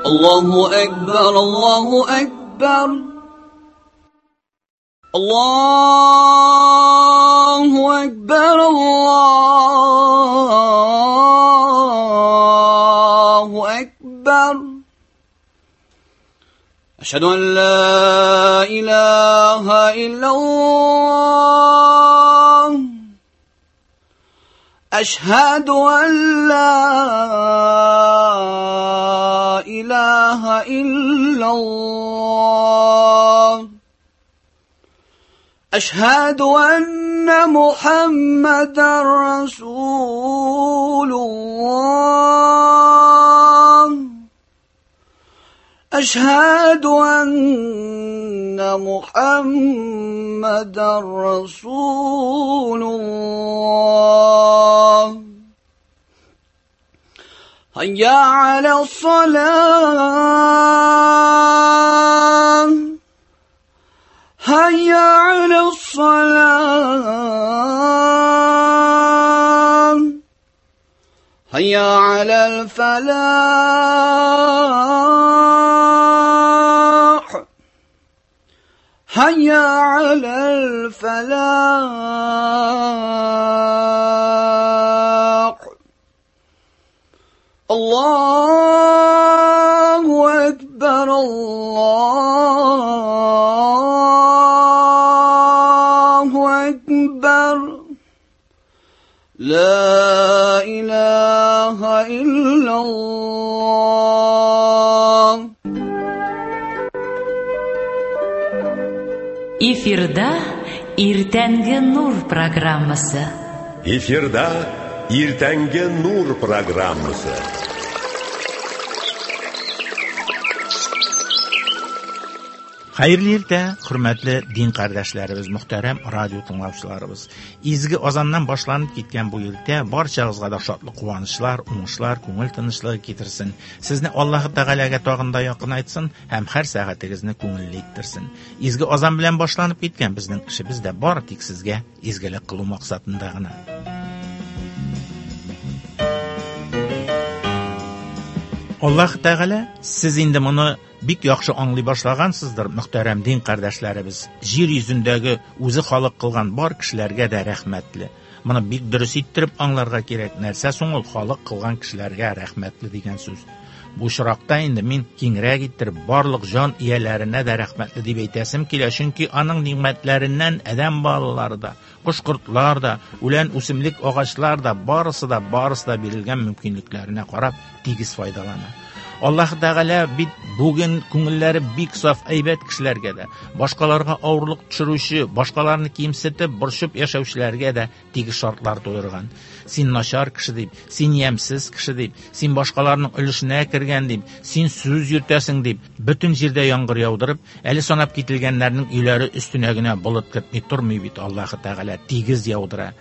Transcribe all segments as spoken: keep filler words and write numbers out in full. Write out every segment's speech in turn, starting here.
الله أكبر الله أكبر الله أكبر الله أكبر أشهد أن لا إله إلا الله أشهد أن لا إله إلا الله أشهد أن محمدا رسول الله أشهد أن محمدا رسول الله هيا على الصلاة هيا على الصلاة هيا على الفلاح هيا على الفلاح الله أكبر الله أكبر لا إله إلا الله. Эфирда Иртәнге Нур программасы. Эфирда Иртәнге Нур программасы. Хәерле иртә, хөрмәтле дин кардәшләребез, мөхтәрәм радио тыңлаучыларыбыз. Изге азаннан башланып киткән бу иртә барчагызга да шатлык, куанычлар, уңышлар, күңел тынычлыгы китерсен. Сезне Аллаһы Тәгаләгә тагын да якынайтсын һәм һәр сәгатегезне күңелле иттерсен. Изге азан белән башланып киткән безнең эшебез дә бары тик сезгә изгелек кылу максатында гына. Аллаһ Тәгалә, сез инде моны бик яхшы аңлый башлагансыздыр, мөхтәрәм дин кардәшләребез. Җир йөзендәге үзе халык кылган бар кешеләргә дә рәхмәтле. Моны бик дөрес иттереп аңларга кирәк. Нәрсә соң ул халык кылган кешеләргә рәхмәтле дигән сүз? Бу очракта инде мин киңрәк иттереп барлык җан ияләренә дә рәхмәтле дип әйтәсем килә, чөнки аның ни'мәтләреннән адәм балалары да, кош-кортлар да, үлән үсемлек агачлар да, барысы да, барысы да бирелгән мөмкинлекләренә карап тигез файдалана. Аллаһ Тәгалә бит бүген күңелләре бик саф әйбәт кешеләргә дә, башкаларга авырлык төшерүче, башкаларны кимсетеп, борчып яшәүчеләргә дә тигез шартлар тудырган. Син начар кеше дип, син ямьсез кеше дип, син башкаларның өлешенә кергән дип, син сүз йөртәсең дип, бөтен җирдә яңгыр яудырып, әле санап кителгәннәрнең өйләре өстенә генә болыт кертми тормый бит Аллаһ Тәгалә, тигез яудыра.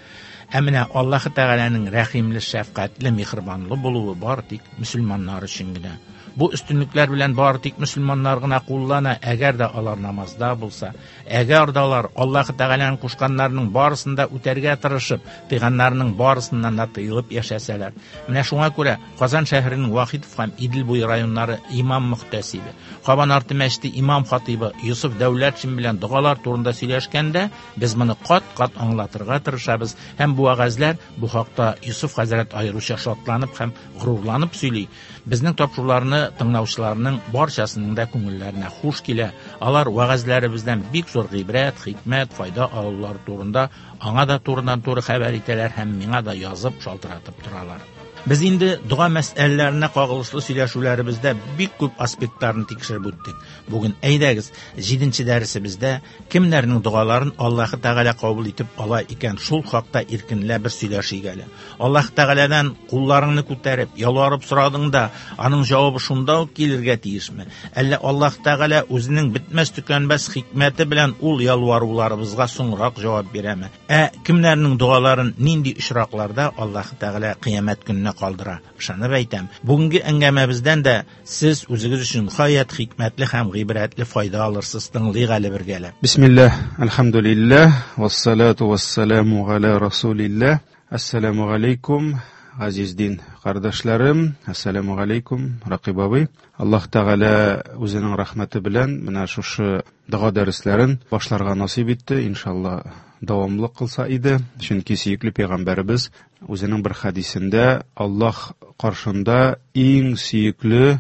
Ә менә Аллаһ Тәгаләнең рәхимле, шәфкатьле, миһербанлы булуы бар тик мөселманнар өчен генә. Бу өстенлекләр белән бар тик мөселманнар гына куллана, әгәр дә алар намазда булса, әгәр дә алар Аллаһ Тәгаләнең кушканнарының барысын да үтәргә тырышып, тыйганнарының барысыннан да тыелып яшәсәләр. Менә шуңа күрә Казан шәһәренең Вахитов һәм Идел буе районнары имам мөхтәсибе, Кабан арты мәчете имам хатибы Йосыф Дәүләтшин белән догалар турында сөйләшкәндә, без моны кат-кат аңлатырга тырышабыз һәм бу вәгазьләр бу хакта Йосыф хәзрәт аеруча шатланып һәм горурланып сөйли. Безнең тапшыруларны тыңлаучыларның барчасының да күңелләренә хуш килә. Алар вәгазьләребездән бик зур гыйбрәт, хикмәт, файда алулар турында аңа да турыдан-туры хәбәр итәләр һәм миңа да язып, шалтыратып торалар. Без инде дога мәсьәләләренә кагылышлы сөйләшүләребездә бик күп аспектларын тикшереп үттек. Бүген әйдәгез, җиденче дәресебездә кемнәрнең догаларын Аллаһ Тәгалә кабул итеп ала икән, шул хакта иркенләп бер сөйләшик әле. Аллаһ Тәгаләдән кулларыңны күтәреп, ялварып сорадың да, аның җавабы шунда ук килергә тиешме? Әллә Аллаһ Тәгалә үзенең бетмәс төкәнмәс хикмәте белән ул ялваруларыбызга соңрак җавап бирәме? Ә кемнәрнең догаларын нинди очракларда Аллаһ Тәгалә кыямәт көненә калдыра? Ышанып әйтәм, бүгенге әңгәмәбездән дә сез үзегез өчен гаять хикмәтле һәм гыйбрәтле файда алырсыз. Тыңлыйк әле бергәләп. Бисмиллаһ, әлхәмдүлиллаһ, вассалату вассаламу аля расулиллаһ. Ассаламу алейкум, Газиз дин кардәшләрем, ассаламу алейкум, Ракыйп абый. Аллаһ Тәгалә үзенең рәхмәте белән менә шушы дога дәресләрен башларга насыйп итте. Иншалла дәвамлы кылса иде. Чөнки сөекле пәйгамбәребез үзенең бер хәдисендә Аллаһ каршында иң сөекле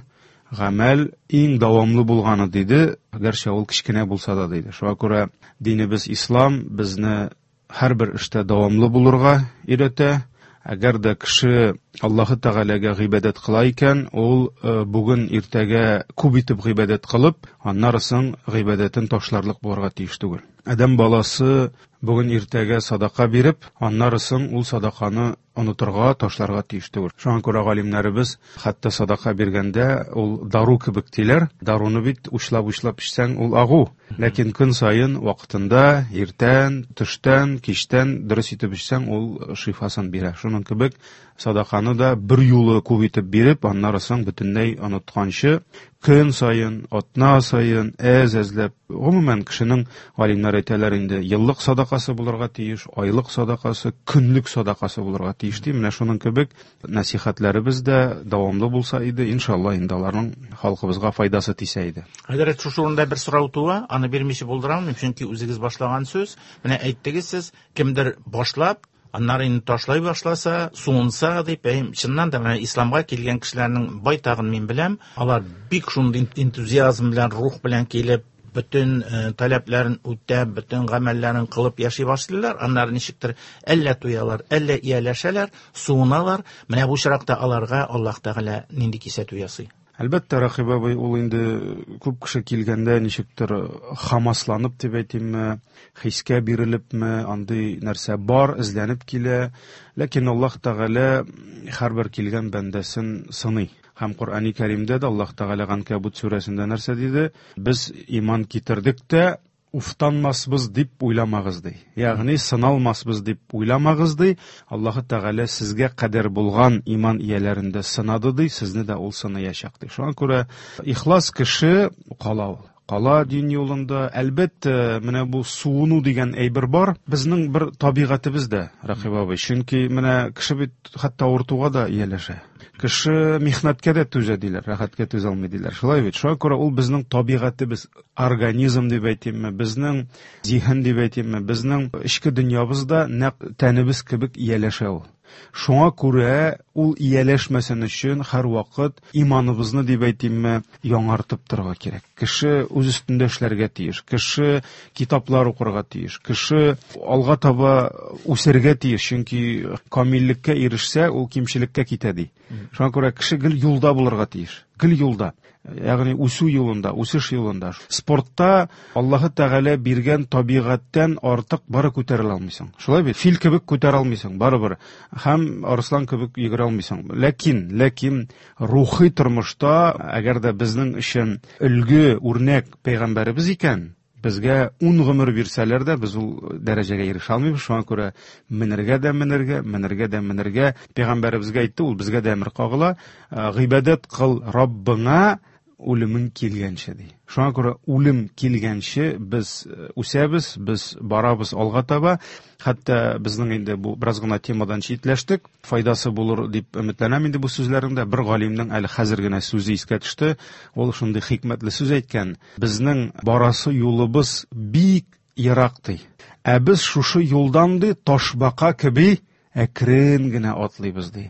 гамәл иң дәвамлы булганы диде, гәрчә ул кечкенә булса да диде. Шуңа күрә динебез ислам безне һәрбер эштә дәвамлы булырга өйрәтә. Әгәр дә кеше Аллаһы Тәгаләгә гыйбадәт кыла икән, ул бүген иртәгә күп итеп гыйбадәт кылып, аннары соң гыйбадәтен ташларлык булырга тиеш түгел. Адәм баласы бүген иртәгә садака биреп, аннары соң ул садаканы онытырга, ташларга тиеш түгел. Шуңа күрә галимнәребез хәтта садака биргәндә ул дару кебек диләр. Даруны бит учлап-учлап эчсәң, ул агу. Ләкин көн саен вакытында, иртән, төштән, кичтән дөрес итеп эчсәң, ул шифасын бирә. Шуның кебек садаканы да бер юлы күп итеп биреп, аннары соң бөтенләй онытканчы, көн саен, атна саен, әз-әзләп, гомумән кешенең, галимнәр әйтәләр инде, еллык садакасы булырга тиеш, айлык садакасы, көнлек садакасы булырга тиеш ди. Менә шуның кебек нәсихәтләребез дә дәвамлы булса иде, иншалла инде аларның халкыбызга файдасы тисә иде. Хәзрәт, шушы урында бер сорау туа, аны бирмичә булдыра алмыйм, чөнки үзегез башлаган сүз. Менә әйттегез сез, кемдер башлап, аннары инде ташлай башласа, суынса дип, әй, чыннан да менә исламга килгән кешеләрнең байтагын мин беләм, алар бик шундый энтузиазм белән, рух белән килеп, бөтен, э, таләпләрен үтәп, бөтен гамәлләрен кылып яши башлыйлар. Аннары ничектер әллә туялар, әллә ияләшәләр, суыналар. Менә бу очракта аларга Аллаһ Тәгалә нинди кисәтү ясый? Әлбәттә, Рәхиб абый, ул инде күп кеше килгәндә ничектер хамасланып дип әйтимме, хискә бирелепме, андый нәрсә бар, эзләнеп килә. Ләкин Аллаһ Тәгалә һәрбер килгән бәндәсен сыный. Һәм Коръәни Кәримдә дә Аллаһ Тәгалә Ганкабут сүрәсендә нәрсә диде? Без иман китердек тә уфтанмасбыз дип уйламагыз ди. Ягъни сыналмасбыз дип уйламагыз ди. Аллаһ Тәгалә сезгә кадәр булган иман ияләрендә сынады ди, сезне дә ул сынаячак ди. Шуңа күрә ихлас кеше кала ул. Кала дин юлында. Әлбәттә, менә бу суыну дигән әйбер бар. Безнең бер табигатебез дә, Рәхиб абый. Чөнки менә кеше бит хәтта авыртуга да ияләшә. Кеше михнәткә дә түзә диләр, рәхәткә түзә алмый диләр. Шулай бит. Шуңа күрә ул безнең табигатебез, организм дип әйтимме, безнең зиһен дип әйтимме, безнең эчке дөньябыз да нәкъ тәнебез кебек ияләшә ул. Шуңа күрә ул ияләшмәсен өчен һәрвакыт иманыбызны дип әйтимме, яңартып торырга кирәк. Кеше үз өстендә эшләргә тиеш, кеше китаплар укырга тиеш, кеше алга таба үсәргә тиеш, чөнки камиллеккә ирешсә, ул кимчелеккә китә ди. Шуңа күрә кеше гел юлда булырга тиеш, гел юлда. Ягъни үсү юлында, үсеш юлында. Спортта Аллаһы Тәгалә биргән табигатьтән артык бары күтәрелә алмыйсың. Шулай бит? Фил кебек күтәрә алмыйсың, барыбер. Һәм арыслан кебек йөгерә алмыйсың. Ләкин, ләкин рухи тормышта, әгәр дә безнең өчен өлге, үрнәк пәйгамбәребез икән, безгә ун гомер бирсәләр дә, без ул дәрәҗәгә ирешә алмыйбыз. Шуңа күрә менергә дә менергә, менергә дә менергә. Пәйгамбәребезгә әйтте, ул безгә дә әмер кагыла. Гыйбадәт кыл Раббыңа үлемең килгәнче ди. Шуңа күрә үлем килгәнче без үсәбез, без барабыз алга таба. Хәтта безнең инде бу бераз гына темадан читләштек. Файдасы булыр дип өметләнәм инде бу сүзләреңдә. Бер галимнең әле хәзер генә сүзе искә төште. Ул шундый хикмәтле сүз әйткән. Безнең барасы юлыбыз бик ерак ди. Ә без шушы юлдан ди ташбака кеби әкрен генә атлыйбыз ди.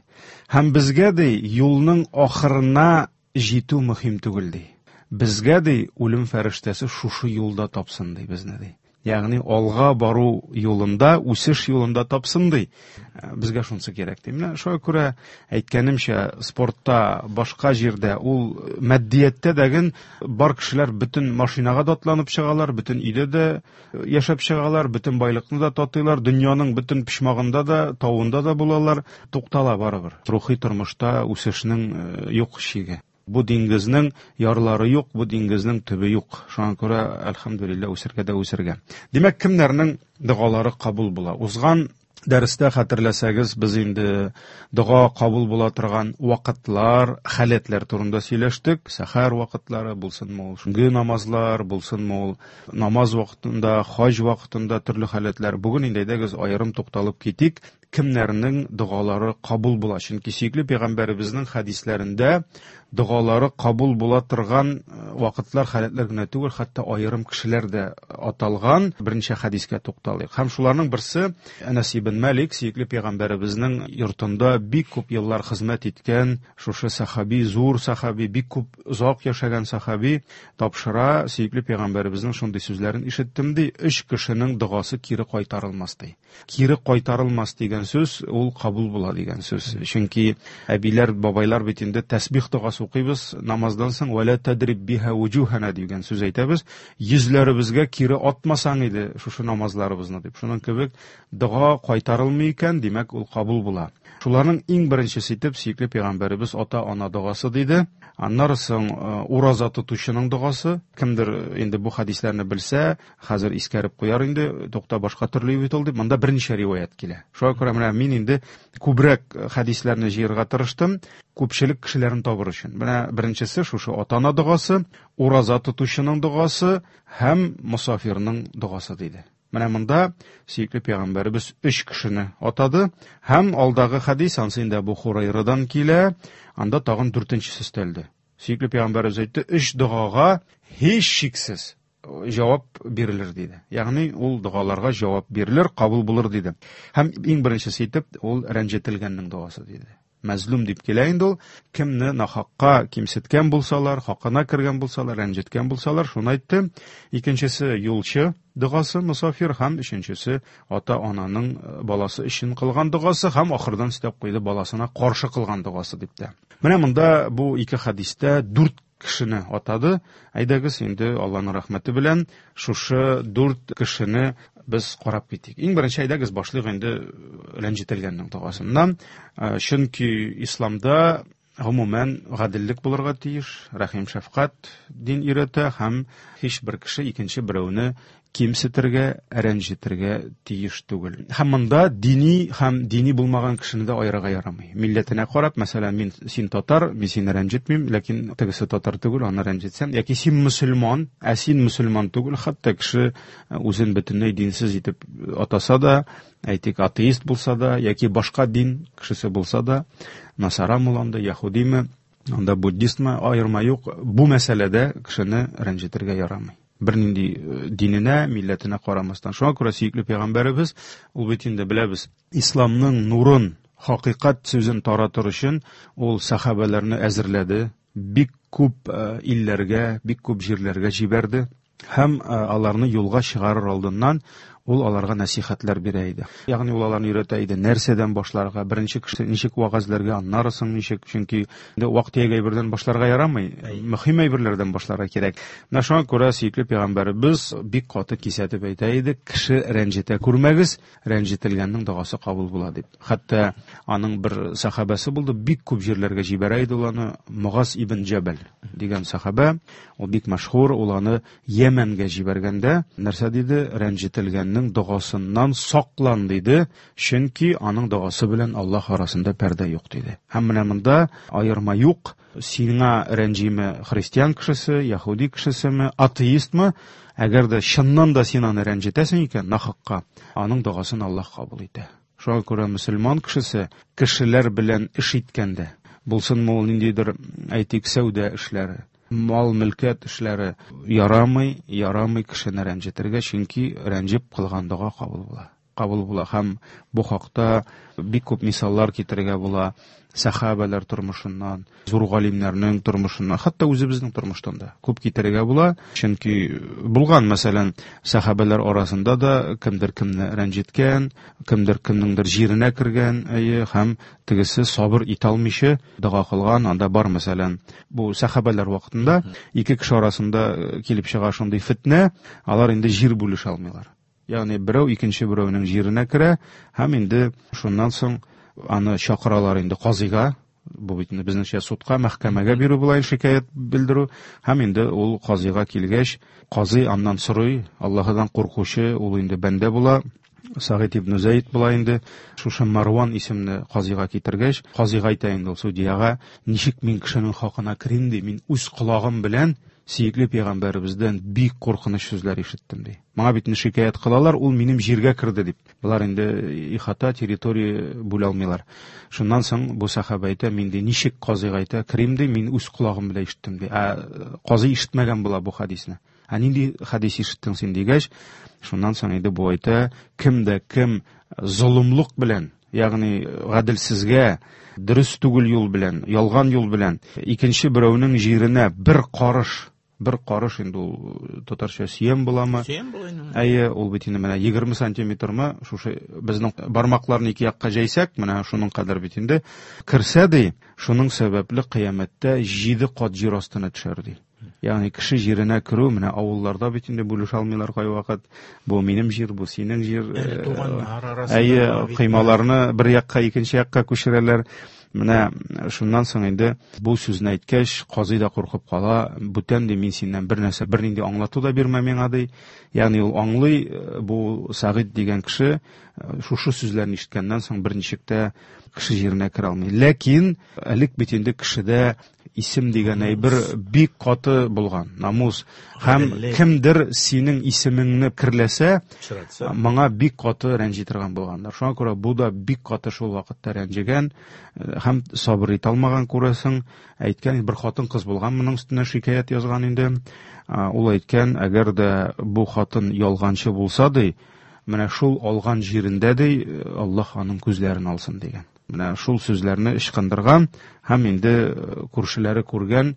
Һәм безгә ди юлның ахырына җитү мөһим түгел ди. Безгә ди үлем фәрештәсе шушы юлда тапсын ди безне ди. Ягъни алга бару юлында, үсеш юлында тапсын ди. Безгә шунысы кирәк ди. Менә шуңа күрә әйткәнемчә, спортта, башка җирдә, ул матдияттә дәген бар кешеләр бөтен машинага да атланып чыгалар, бөтен өйдә дә яшәп чыгалар, бөтен байлыкны да татыйлар, дөньяның бөтен почмагында да, тавында да булалар, туктала барыбер. Рухи тормышта үсешнең юк чиге. Бу диңгезнең ярлары юк, бу диңгезнең төбе юк. Шуңа күрә, әлхәмдүлилләһ, үсергә дә үсергә. Димәк, кемнәрнең догалары кабул була? Узган дәрестә хәтерләсәгез, без инде дога кабул була торган вакытлар, халәтләр турында сөйләштек. Сәхәр вакытлары булсынмы ул, шундый намазлар булсынмы ул, намаз вакытында, хаҗ вакытында төрле халәтләр. Бүген инде әйдәгез аерым тукталып китик, кемнәрнең догалары кабул була. Чөнки сөекле пәйгамбәребезнең хәдисләрендә догалары кабул була торган вакытлар, халәтләр генә түгел, хәтта аерым кешеләр дә аталган. Берничә хәдискә тукталыйк. Һәм шуларның берсе Әнәс ибн Мәлик, сөекле пәйгамбәребезнең йортында бик күп еллар хезмәт иткән шушы сахаби, зур сахаби, бик күп озак яшәгән сахаби тапшыра, сөекле пәйгамбәребезнең шундый сүзләрен ишеттем ди: өч кешенең догасы кире кайтарылмас ди. Кире кайтарылмас дигән сүз ул кабул була дигән сүз. Чөнки әбиләр, бабайлар бит инде тәсбих догасы укыйбыз, намаздан соң вәлә тадриб биһа вуҗухана дигән сүз әйтәбез. Йөзләребезгә кире атмасаң иде шушы намазларыбызны дип. Шуның кебек дога кайтарылмый икән, димәк ул кабул була. Шуларның иң беренчесе итеп сөекле пәйгамбәребез ата-ана догасы диде. Аннары соң ураза тотучының догасы. Кемдер инде бу хәдисләрне белсә, хәзер искәреп куяр инде, тукта башка төрле бит ул дип. Монда берничә риваять килә. Шуңа күрә менә мин инде күбрәк хәдисләрне җыярга тырыштым, күпчелек кешеләрне табыр өчен. Менә беренчесе шушы ата-ана догасы, ураза тотучының догасы һәм мосафирның догасы диде. Менә монда сөекле пәйгамбәребез өч кешене атады. Һәм алдагы хәдис ансы инде Әбу Хурайрадан килә, анда тагын дүртенчесе өстәлде. Сөекле пәйгамбәребез әйтте, өч догага һичшиксез җавап бирелер диде. Ягъни ул догаларга җавап бирелер, кабул булыр диде. Һәм иң беренчесе итеп ул рәнҗетелгәннең догасы диде. Мәзлум дип килә инде ул, кемне нахакка кимсеткән булсалар, хакына кергән булсалар, рәнҗеткән булсалар, шуны әйтте. Икенчесе юлчы догасы, мусафир, һәм өченчесе ата-ананың баласы өчен кылган догасы, һәм ахырдан өстәп куйды баласына каршы кылган догасы дип тә. Менә монда бу ике хәдистә дүрт кешене атады. Әйдәгез инде Аллаһның рәхмәте белән шушы дүрт кешене без карап китик. Иң беренче әйдәгез башлыйк инде рәнҗетелгәннең догасыннан. Чөнки исламда гомумән гаделлек булырга тиеш, рәхим шәфкать дин өйрәтә, һәм һичбер кеше икенче берәүне кимсетергә, рәнҗетергә тиеш түгел. Һәм монда дини һәм дини булмаган кешене дә аерырга ярамый. Милләтенә карап, мәсәлән, мин син татар, мин сине рәнҗетмим, ләкин тегесе татар түгел, аны рәнҗетсәм, яки син мөселман, ә син мөселман түгел, хәтта кеше үзен бөтенләй динсез итеп атаса да, әйтик, атеист булса да, яки башка дин кешесе булса да, насарамы ул анда, яһудиме, анда буддистмы, аерма юк, бу мәсьәләдә кешене рәнҗетергә ярамый. Бернинди диненә, милләтенә карамастан. Шуңа күрә сөекле пәйгамбәребез, ул бит инде беләбез, исламның нурын, хакыйкать сүзен таратыр өчен ул сахабәләрне әзерләде, бик күп илләргә, бик күп җирләргә җибәрде һәм аларны юлга чыгарыр алдыннан ул аларга нәсихәтләр бирә иде. Ягъни ул аларны өйрәтә иде, нәрсәдән башларга, беренче кеше ничек вәгазьләргә, аннары соң ничек, чөнки инде вак-төяк әйбердән башларга ярамый, мөһим әйберләрдән башларга кирәк. Менә шуңа күрә сөекле пәйгамбәребез бик каты кисәтеп әйтә иде, кеше рәнҗетә күрмәгез, рәнҗетелгәннең догасы кабул була дип. Хәтта аның бер сахабәсе булды, бик күп җирләргә җибәрә иде ул аны, Мугаз ибн Җәбәл дигән сахабә, ул бик мәшһүр, ул аны Йәмәнгә җибәргәндә нәрсә диде? Рәнҗетелгәннең догасыннан саклан диде, чөнки аның догасы белән Аллаһ арасында пәрдә юк диде. Һәм менә монда аерма юк, сиңа рәнҗиме христиан кешесе, яһүди кешесеме, атеистмы, әгәр дә чыннан да син аны рәнҗетәсең икән, нахакка, аның догасын Аллаһ кабул итә. Шуңа күрә мөселман кешесе кешеләр белән эш иткәндә, булсынмы ул ниндидер, әйтик, сәүдә эшләре, мал мөлкәт эшләре, ярамый, ярамый кешене рәнҗетергә, чөнки рәнҗеп кылган дога кабул була. Кабул була. Һәм бу хакта бик күп мисаллар китерергә була. Сахабәләр тормышыннан, зур галимнәрнең тормышыннан, хәтта үзебезнең тормыштан да күп китерергә була. Чөнки булган, мәсәлән, сахабәләр арасында да кемдер кемне рәнҗеткән, кемдер кемнеңдер җиренә кергән, әйе, һәм тегесе сабыр итә алмыйча дога кылган. Анда бар, мәсәлән, бу сахабәләр вакытында ике кеше арасында килеп чыга шундый фитнә, алар инде җир бүлешә алмыйлар. Ягъни берәү икенче берәүнең җиренә керә һәм инде шуннан соң аны чакыралар инде казыйга, бу бит инде безнеңчә судка, мәхкәмәгә бирү була шикаять белдерү, һәм инде ул казыйга килгәч, казый аннан сорый, Аллаһыдан куркучы ул инде бәндә була, Сәгыйть ибн Зәйд була инде, шушы Марван исемле казыйга китергәч, казыйга әйтә инде ул судьяга, ничек мин кешенең хакына керим ди, мин үз колагым белән сөекле пәйгамбәребездән бик куркыныч сүзләр ишеттем ди. Моңа бит шикаять кылалар, ул минем җиргә керде дип. Болар инде ихата, территория бүлә алмыйлар. Шуннан соң бу сахаба әйтә, мин ди ничек казыйга әйтә, керим ди, мин үз колагым белән ишеттем ди. Ә казый ишетмәгән була бу хадисне. Ә нинди хадис ишеттең син дигәч, шуннан соң инде бу әйтә, кем дә кем золымлык белән, ягъни гаделсезгә, дөрес түгел юл белән, ялган юл белән икенче берәүнең җиренә бер карыш, бер карыш инде ул татарча сөям буламы? Сөям була инде. Әйе, ул бит инде менә егерме сантиметрмы, шушы безнең бармакларны ике якка җәйсәк, менә шуның кадәр бит инде керсә ди, шуның сәбәпле кыямәттә җиде кат җир астына төшәр ди. Ягъни кеше җиренә керү, менә авылларда бит инде бүлешә алмыйлар кайвакыт. Бу минем җир, бу синең җир. Әле туганнар арасында Әйе, бит. кыймаларны бер якка, икенче якка күчерәләр. Менә шуннан соң инде бу сүзне әйткәч, казый да куркып кала, бүтән ди, мин синнән бер нәрсә, бернинди аңлату да бирмә миңа ди. Ягъни ул аңлый, бу Сәгыйть дигән кеше шушы сүзләрне ишеткәннән соң берничек тә кеше җиренә керә алмый. Ләкин элек бит инде кешедә исем дигән әйбер бик каты булган, намус. Һәм Гаделлек. кемдер синең исемеңне керләсә, Пычратса. моңа бик каты рәнҗи торган булганнар. Шуңа күрә бу да бик каты шул вакытта рәнҗегән һәм сабыр итә алмаган күрәсең. Әйткән, бер хатын-кыз булган, моның өстенә шикаять язган инде. Ул әйткән, әгәр дә бу хатын ялганчы булса ди, менә шул алган җирендә ди, Аллаһ аның күзләрен алсын дигән. Менә шул сүзләрне ычкындырган һәм инде күршеләре күргән,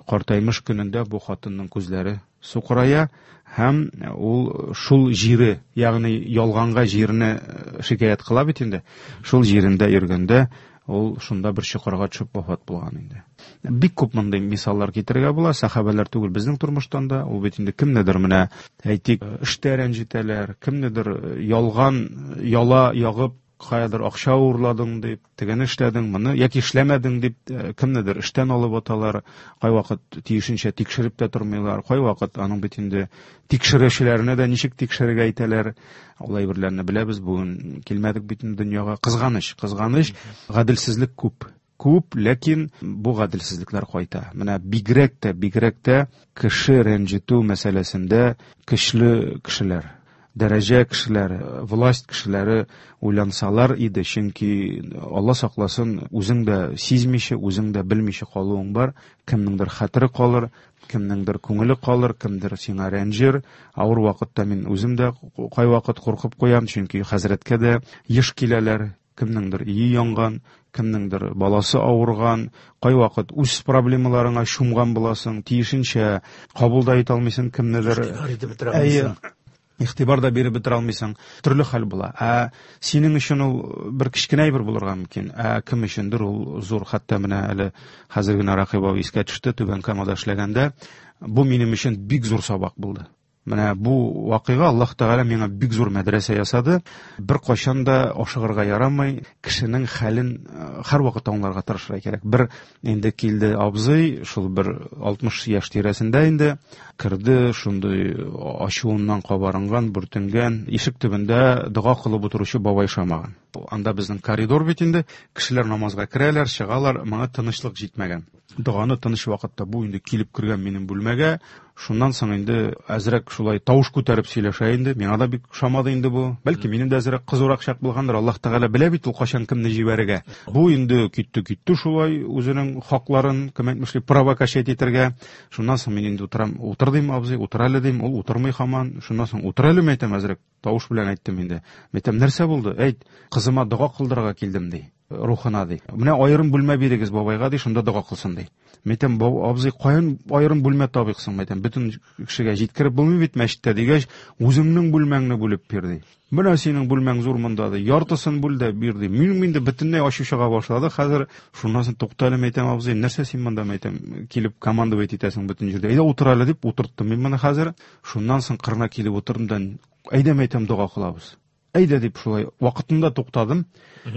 картаймыш көнендә бу хатынның күзләре сукырая һәм ул шул җире, ягъни ялганга җирне шикаять кыла бит инде, шул җирендә йөргәндә ул шунда бер чокырга төшеп вафат булган инде. Бик күп мондый мисаллар китерергә була, сахабәләр түгел безнең тормыштан да, ул бит инде кемнедер менә әйтик, эштә рәнҗетәләр, кемнедер ялган яла ягып каядыр акча урладың дип, тегене эшләдең, моны яки эшләмәдең дип, кемнедер эштән алып аталар, кайвакыт тиешенчә тикшереп тә тормыйлар, кайвакыт аның бит инде тикшерүчеләренә дә ничек тикшерергә әйтәләр. Ул әйберләрне беләбез, бүген килмәдек бит инде дөньяга. Кызганыч, кызганыч, гаделсезлек күп. Күп, ләкин бу гаделсезлекләр кайта. Менә бигрәк тә, бигрәк тә кеше рәнҗетү мәсьәләсендә көчле кешеләр, дәрәҗә кешеләре, власть кешеләре уйлансалар иде, чөнки Алла сакласын, үзең дә сизмичә, үзең дә белмичә калуың бар, кемнеңдер хәтере калыр, кемнеңдер күңеле калыр, кемдер сиңа рәнҗер. Авыр вакытта мин үзем дә кайвакыт куркып куям, чөнки хәзрәткә дә еш киләләр, кемнеңдер өе янган, кемнеңдер баласы авырган, кайвакыт үз проблемаларыңа чумган буласың, тиешенчә кабул да итә алмыйсың, кемнедер Игътибар итеп бетерә Әйе. алмыйсың. Игътибар да биреп бетерә алмыйсың. Төрле хәл була. Ә синең өчен ул бер кечкенә әйбер булырга мөмкин, ә кем өчендер ул зур. Хәтта менә әле хәзер генә Рәкыйп абый искә төште, Түбән Камада эшләгәндә, бу минем өчен бик зур сабак булды. Менә бу вакыйга Аллаһ Тәгалә миңа бик зур мәдрәсә ясады. Бер кайчан да ашыгырга ярамый, кешенең хәлен, э, һәрвакыт аңларга тырышырга кирәк. Бер инде килде абзый, шул бер алтмыш яшь тирәсендә инде керде, шундый ачуыннан кабарынган, бүртенгән, ишек төбендә дога кылып утыручы бабай шамаган. Анда безнең коридор бит инде, кешеләр намазга керәләр, чыгалар, моңа тынычлык җитмәгән. Доганы тыныч вакытта бу инде килеп кергән минем бүлмәгә. Шуннан соң инде әзрәк шулай тавыш күтәреп сөйләшә инде. Миңа да бик ошамады инде бу. Бәлки минем дә әзрәк кызурак чак булгандыр. Аллаһ Тәгалә белә бит ул кайчан кемне җибәрергә. Бу инде китте, китте шулай үзенең хакларын, кем әйтмешли, права качать итәргә. Шуннан соң мин инде утырам, утыр дим, абзый, утыр әле дим, ул утырмый һаман. Шуннан соң утыр әле, әйтәм, әзрәк тавыш белән әйттем инде. Әйтәм, нәрсә булды? Әйт, кызыма дога кылдырырга килдем ди. Рухына ди. Менә аерым бүлмә бирегез бабайга ди, шунда дога кылсын ди. Мәйтәм, баб-, абзый, каян аерым бүлмә табыйк соң? Мәйтәм, бөтен кешегә җиткереп булмый бит мәчеттә дигәч, үзеңнең бүлмәңне бүлеп бир ди. Менә синең бүлмәң зур монда ди, яртысын бүл дә бир ди. Минем инде бөтенләй ачу чыга башлады. Хәзер шуннан соң тукта әле, мәйтәм, абзый, нәрсә син монда, мәйтәм, килеп командовать итәсең бөтен җирдә. Әйдә утыр әле дип утырттым мин моны хәзер. Шуннан соң кырына килеп утырдым да, әйдә, мәйтәм, дога кылабыз. Әйдә дип шулай вакытында туктадым.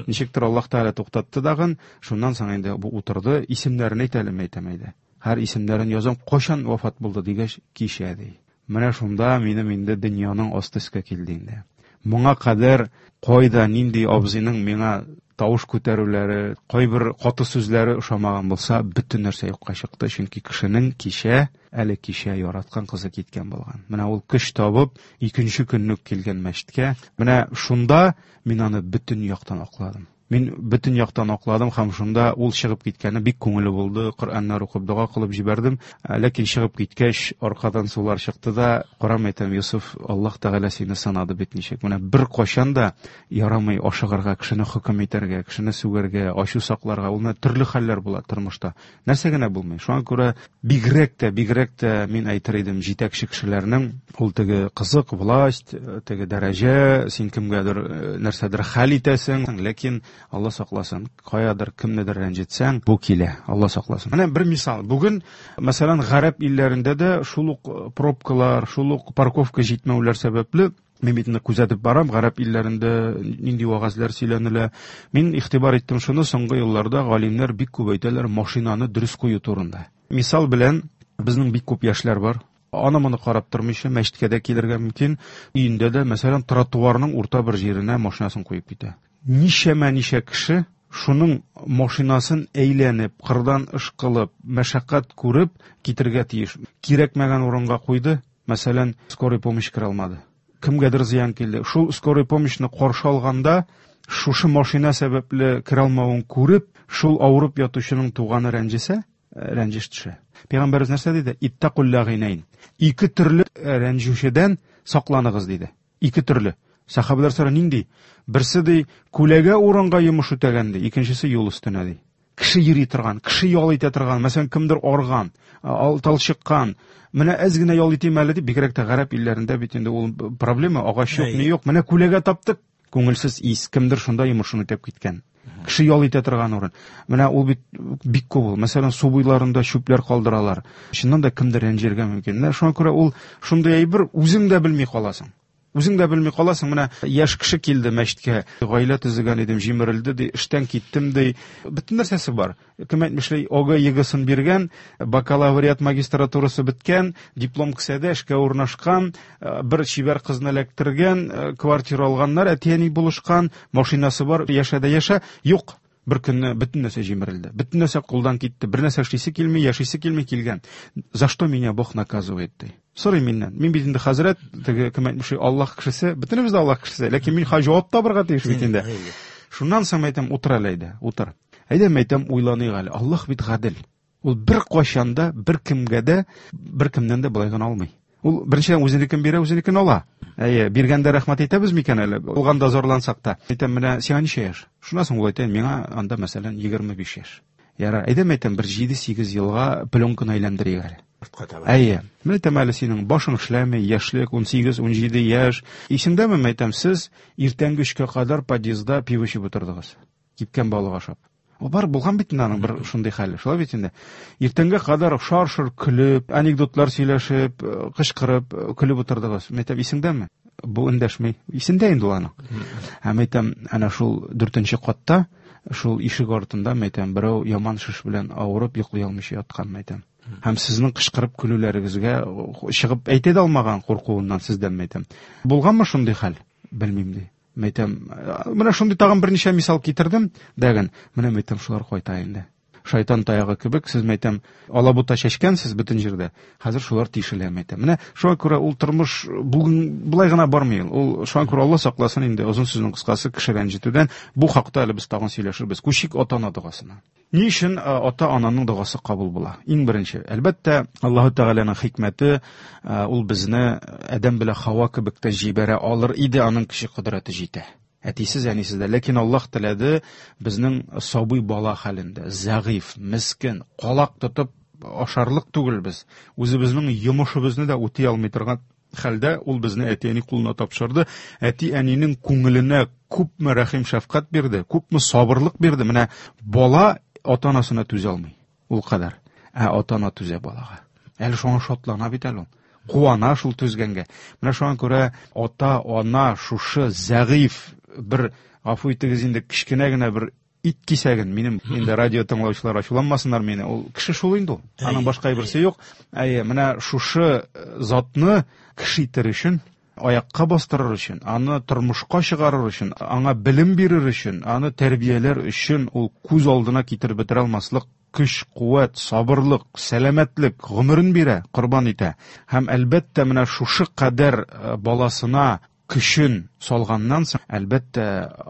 Ничектер Аллаһ Тәгалә туктатты дагын. Шуннан соң инде бу утырды, исемнәрен әйт әле, мәйтәм, әйдә. Һәр исемнәрен язам, кайчан вафат булды дигәч, кичә ди. Менә шунда минем инде дөньяның асты өскә килде инде. Моңа кадәр кайда нинди абзыйның миңа тавыш күтәрүләре, кайбер каты сүзләре ошамаган булса, бөтен нәрсә юкка чыкты, чөнки кешенең кичә, әле кичә яраткан кызы киткән булган. Менә ул көч табып, икенче көнне үк килгән мәчеткә. Менә шунда мин аны бөтен яктан акладым. Мин бөтен яктан акладым һәм шунда ул чыгып киткәне бик күңелле булды. Коръәннәр укып, дога кылып җибәрдем. Ләкин чыгып киткәч, аркадан сулар чыкты да, карам әйтәм, Юсуф, Аллаһ Тәгалә сине сынады бит ничек. Менә бер кайчан да ярамый ашыгырга, кешене хөкем итәргә, кешене сүгәргә, ачу сакларга. Ул менә төрле хәлләр була тормышта. Нәрсә генә булмый. Шуңа күрә бигрәк тә, бигрәк тә мин әйтер идем, җитәкче кешеләрнең ул теге кызык, власть, теге дәрәҗә, син кемгәдер нәрсәдер хәл итәсең, ләкин Алла сакласын, каядыр кемнедер рәнҗетсәң, бу килә, Алла сакласын. Менә бер мисал. Бүген, мәсәлән, гарәп илләрендә дә шул ук пробкалар, шул ук парковка җитмәүләр сәбәпле, мин бит инде күзәтеп барам, гарәп илләрендә нинди вәгазьләр сөйләнелә. Мин игътибар иттем шуны, соңгы елларда галимнәр бик күп әйтәләр машинаны дөрес кую турында. Мисал белән, безнең бик күп яшьләр бар. Аны моны карап тормыйча мәчеткә дә килергә мөмкин. Өендә дә, мәсәлән, тротуарның урта бер җиренә машинасын куеп китә. Ничәмә ничә кеше шуның машинасын әйләнеп, кырдан ышкылып, мәшәкать күреп китергә тиеш. Кирәкмәгән урынга куйды, мәсәлән, скорый помощь керә алмады. Кемгәдер зыян килде. Шул скорый помощьны каршы алганда, шушы машина сәбәпле керә алмавын күреп, шул авырып ятучының туганы рәнҗесә, рәнҗеш төшә. Пәйгамбәребез нәрсә диде? Иттакул лагинайн. Ике төрле рәнҗүчедән сакланыгыз диде. Ике төрле. Сахабалар сора нинди? Берсе ди, күләгә урынга йомыш үтәгән ди, икенчесе юл өстенә ди. Кеше йөри торган, кеше ял итә торган, мәсәлән, кемдер арган, талчыккан. Менә әз генә ял итим әле дип, бигрәк тә гарәп илләрендә бит инде ул проблема, агач юк, ни юк. Менә күләгә таптык, күңелсез ис, кемдер шунда йомышын үтәп киткән. Кеше ял итә торган урын. Менә ул бит бик күп ул. Мәсәлән, су буйларында чүпләр калдыралар. Чыннан да кемдер рәнҗергә мөмкин. Менә шуңа күрә ул шундый әйбер, үзең дә белми каласың. Үзең дә белми каласың. Менә яшь кеше килде мәчеткә. Гаилә төзегән идем, җимерелде ди, эштән киттем ди. Бөтен нәрсәсе бар. Кем әйтмешли, ОГЭ ЕГЭсын биргән, бакалавриат магистратурасы беткән, диплом кесәдә, эшкә урнашкан, бер чибәр кызны эләктергән, квартира алганнар, әти-әни булышкан, машинасы бар, яшә дә яшә. Юк, бер көнне бөтен нәрсә җимерелде. Бөтен нәрсә кулдан китте. Бер нәрсә эшлисе килми, яшисе килми килгән. За что меня Бог наказывает ди. Сорый миннән. Мин бит инде хәзрәт, теге кем әйтмешли, Аллаһ кешесе, бөтенебез дә Аллаһ кешесе, ләкин мин җавап табырга тиеш бит инде. Шуннан соң әйтәм, утыр әле әйдә, утыр. Әйдә, әйтәм, уйланыйк әле. Аллаһ бит гадел. Ул бер кайчан да, бер кемгә дә, бер кемнән дә болай гына алмый. Ул беренчедән үзенекен бирә, үзенекен ала. Әйе, биргәндә рәхмәт әйтәбез микән әле? Булганда зарлансак та. Әйтәм, менә сиңа ничә яшь? Шуннан соң ул әйтә, миңа анда мәсәлән егерме биш яшь. Ярар, әйдә, әйтәм, бер җиде-сигез елга пленканы әйләндерик әле. Әйе, менә әйтәм әле, синең башың эшләми, яшьлек ун сигез, ун җиде яшь. Исеңдәме, әйтәм, сез иртәнге өчкә кадәр подъездда пиво эчеп утырдыгыз. Кипкән балык ашап. О, бар булган бит инде аның бер шундый хәле. Шулай бит инде. Иртәнгә кадәр шар-шар көлеп, анекдотлар сөйләшеп, кычкырып, көлеп утырдыгыз. Әйтәм, исеңдәме? Бу эндәшми. Исендә инде ул аның. Һәм әйтәм, әнә шул дүртенче катта, шул ишек артында, әйтәм, берәү яман шеш белән авырып йоклый алмыйча яткан, әйтәм. Һәм сезнең кычкырып көлүләрегезгә чыгып әйтә дә алмаган куркуыннан сездән, әйтәм. Булганмы шундый хәл? Белмим ди. Әйтәм, менә шундый тагын берничә мисал китердем, дәген. Менә әйтәм, шулар кайта инде. Шайтан таягы кебек, сез әйтәм, алабута чәчкәнсез бөтен җирдә. Хәзер шулар тишелә, әйтәм. Менә шуңа күрә ул тормыш бүген болай гына бармый. Ул шуңа күрә Алла сакласын инде, озын сүзнең кыскасы, кеше рәнҗетүдән. Бу хакта әле без тагын сөйләшербез. Күчик ата-ана догасына. Ни өчен ата-ананың догасы кабул була? Иң беренче, әлбәттә, Аллаһу Тәгаләнең хикмәте, ул безне Адәм белән Хава кебек тә җибәрә алыр иде, аның кеше кодрәте җитә. Әтисез, әнисез дә. Ләкин Аллаһ теләде безнең сабый бала хәлендә, зәгыйф, мескен, калак тотып ашарлык түгел без. Үзебезнең йомышыбызны да үти алмый торган хәлдә ул безне әти-әни кулына тапшырды. Әти-әнинең күңеленә күпме рәхим шәфкать бирде, күпме сабырлык бирде. Менә бала ата-анасына түзә алмый ул кадәр. Ә ата-ана түзә балага. Әле шуңа шатлана бит әле ул. Куана шул түзгәнгә. Менә шуңа күрә ата-ана шушы зәгыйф бер, гафу итегез инде, кечкенә генә бер ит кисәген, минем инде радио тыңлаучылар ачуланмасыннар мине, ул кеше шул инде ул. Аның башка берсе юк. Әйе, менә шушы затны кеше итер өчен аякка бастырыр өчен, аны тормышка чыгарыр өчен, аңа белем бирер өчен, аны тәрбияләр өчен ул күз алдына китереп бетерә алмаслык көч, куәт, сабырлык, сәламәтлек, гомерен бирә, корбан итә. Һәм әлбәттә менә шушы кадәр баласына көчен салганнан соң, әлбәттә,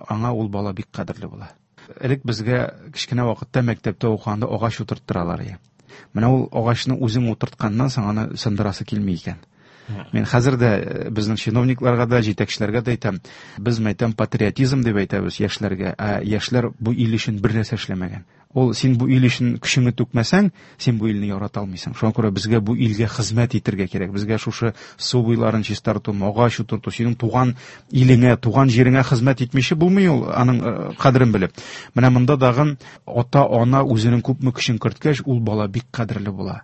аңа ул бала бик кадерле була. Элек безгә кечкенә вакытта мәктәптә укыганда агач утырттыралар иде. Менә ул агачны үзең утыртканнан соң аны сындырасы килми икән. Мин хәзер дә безнең чиновникларга да, җитәкчеләргә дә әйтәм, без мәйтәм патриотизм дип әйтәбез яшьләргә, ә яшьләр бу ил өчен бер нәрсә эшләмәгән. Ул син бу ил өчен көчеңне түкмәсәң, син бу илне ярата алмыйсың. Шуңа күрә безгә бу илгә хезмәт итәргә кирәк. Безгә шушы су буйларын чистарту, агач утырту, синең туган илеңә, туган җиреңә хезмәт итмичә булмый ул, аның кадерен белеп. Менә монда дагын ата-ана үзенең күпме көчен керткәч, ул бала бик кадерле була.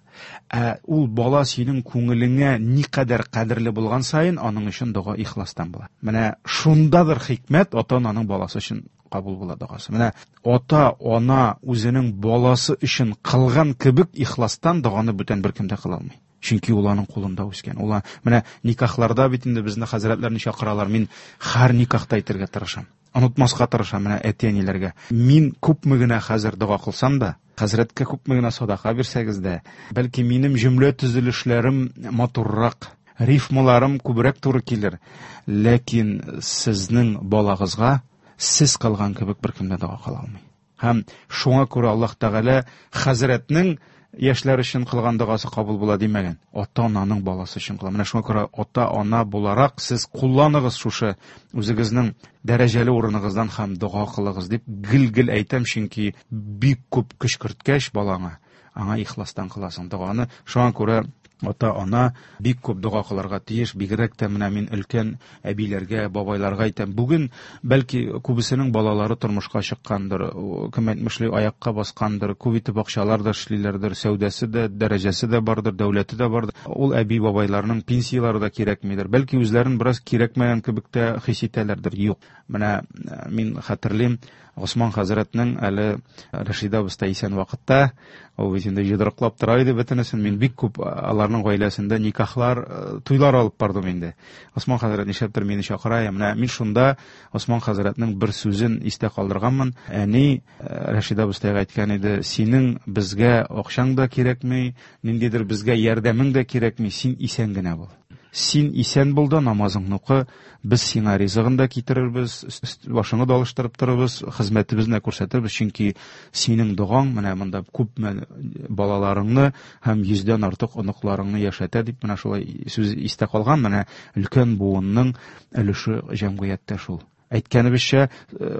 Ә ул бала синең күңелеңә никадәр кадерле булган саен, аның өчен дога ихластан була. Менә шундадыр хикмәт, ата-ананың баласы өчен кабул була догасы. Менә ата-ана үзенең баласы өчен кылган кебек ихластан доганы бүтән беркем дә кыла алмый. Чөнки ул аның кулында үскән. Ул менә никахларда бит инде безне хәзрәтләрне чакыралар. Мин һәр никахта әйтергә тырышам. Онытмаска тырышам менә әти-әниләргә. Мин күпме генә хәзер дога кылсам да, хәзрәткә күпме генә садака бирсәгез дә, бәлки минем җөмлә төзелешләрем матуррак, рифмаларым күбрәк туры килер. Ләкин сезнең балагызга сез кылган кебек беркем дә дога кыла алмый. Һәм шуңа күрә Аллаһ Тәгалә хәзрәтнең яшьләр өчен кылган догасы кабул була димәгән. Ата-ананың баласы өчен кыла. Менә шуңа күрә ата-ана буларак сез кулланыгыз шушы үзегезнең дәрәҗәле урыныгыздан һәм дога кылыгыз дип гел-гел әйтәм, чөнки бик күп көч керткәч балаңа, аңа ихластан кыласың доганы. Шуңа күрә ата-ана бик күп дога кылырга тиеш. Бигрәк тә менә мин өлкән әбиләргә, бабайларга әйтәм. Бүген бәлки күбесенең балалары тормышка чыккандыр, кем әйтмешли аякка баскандыр, күп итеп акчалар да эшлиләрдер, сәүдәсе дә, дәрәҗәсе дә бардыр, дәүләте дә бардыр. Ул әби бабайларның пенсияләре дә кирәкмидер. Бәлки үзләрен бераз кирәкмәгән кебек тә хис итәләрдер. Юк. Менә мин хәтерлим, Госман хәзрәтнең әле Рәшидә абыстай исән вакытта, ул бит инде йодрыклап тора иде бөтенесен. Мин бик күп аларның гаиләсендә никахлар, туйлар алып бардым инде. Госман хәзрәт нишләптер мине чакыра. Менә мин шунда Госман хәзрәтнең бер сүзен истә калдырганмын. Әни Рәшидә абыстайга әйткән иде: "Синең безгә акчаң да кирәкми, ниндидер безгә ярдәмең дә кирәкми, син исән генә бул. Син исән бул да намазыңны укы, без сиңа ризыгын да китерербез, башыңны да алыштырып торырбыз, хезмәтебезне күрсәтербез, чөнки синең догаң менә монда күпме балаларыңны һәм йөздән артык оныкларыңны яшәтә" дип менә шулай сүз истә калган. Менә өлкән буынның өлеше җәмгыятьтә шул. Әйткәнебезчә,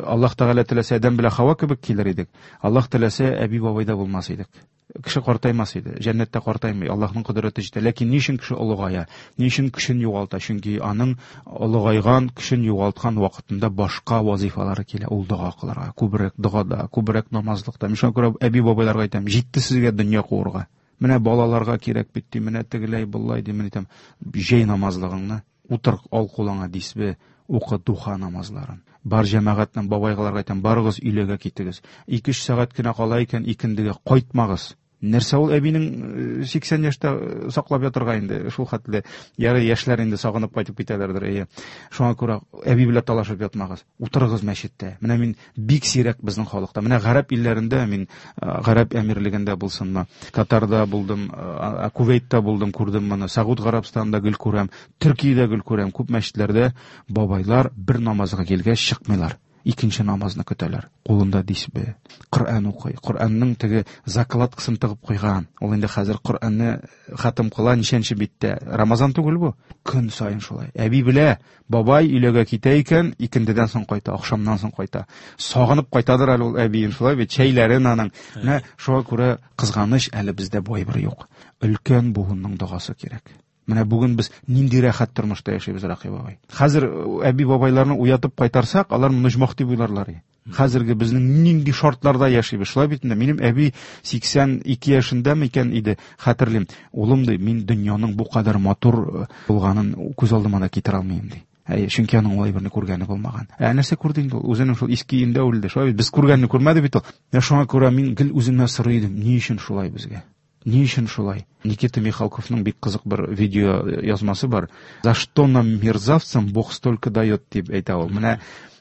Аллаһ Тәгалә теләсә Адәм белән Хава кебек килер идек. Аллаһ теләсә әби бабай да булмас идек. Кеше картаймас иде, җәннәттә картаймый, Аллаһның кодрәте җитә. Ләкин ни өчен кеше олыгая? Ни өчен көчен югалта? Чөнки аның олыгайган, көчен югалткан вакытында башка вазифалары килә. Ул дога кылырга, күбрәк догада, күбрәк намазлыкта. Мин шуңа күрә әби бабайларга әйтәм: җитте сезгә дөнья куырга. Менә балаларга кирәк бит, ди, менә тегеләй, болай ди, мин әйтәм, җәй намазлыгыңны утыр, ал кулыңа дисбе, укы духа намазларын. Бар җәмәгатьнең бабайларга әйтәм, барыгыз өйләргә китегез. Ике-өч сәгать кенә кала икән, икендегә кайтмагыз. Нәрсә ул әбинең сиксән яшьтә саклап ятырга инде, шул хәтле. Ярый яшьләр инде сагынып кайтып китәләрдер, әйе. Шуңа күрә әби белән талашып ятмагыз. Утырыгыз мәчеттә. Менә мин бик сирәк безнең халыкта. Менә гарәп илләрендә, мин Гарәп Әмирлегендә булсынмы, Катарда булдым, Кувейтта булдым, күрдем моны. Сауд Гарәбстанында гел күрәм, Төркиядә гел күрәм. Күп мәчетләрдә бабайлар бер намазга килгәч чыкмыйлар. Икенче намазны көтәләр. Кулында дисбе, Коръән укый. Коръәннең теге закладкасын тыгып куйган. Ул инде хәзер Коръәнне хатым кыла ничәнче биттә. Рамазан түгел бу. Көн саен шулай. Әби белә, бабай өйләгә китә икән, икендедән соң кайта, ахшамнан соң кайта. Сагынып кайтадыр әле ул әбиен, шулай бит, чәйләрен аның. Менә шуңа күрә кызганыч, әле бездә бу әйбер юк. Өлкән буынның догасы кирәк. Менә бүген без нинди рәхәт тормышта яшибез, Рәхим бабай. Хәзер әби бабайларны уятып кайтарсак, алар моны оҗмах дип уйларлар. Хәзерге безнең нинди шартларда яшибез, шулай бит инде. Минем әби сиксән ике яшендә микән иде, хәтерлим. Улым ди, мин дөньяның бу кадәр матур булганын күз алдыма да китерә алмыйм ди. Әйе, чөнки аның улай берни күргәне булмаган. Ә нәрсә күрде инде ул? Үзенең шул иске өендә үлде. Шулай бит, без күргәнне күрмәде бит ул. Менә шуңа күрә мин гел үземнән сорый идем, ни өчен шулай безгә? Ни өчен шулай? Никита Михалковның бик кызык бер видео язмасы бар. За что нам, мерзавцам, Бог столько дает, дип әйтә ул. Менә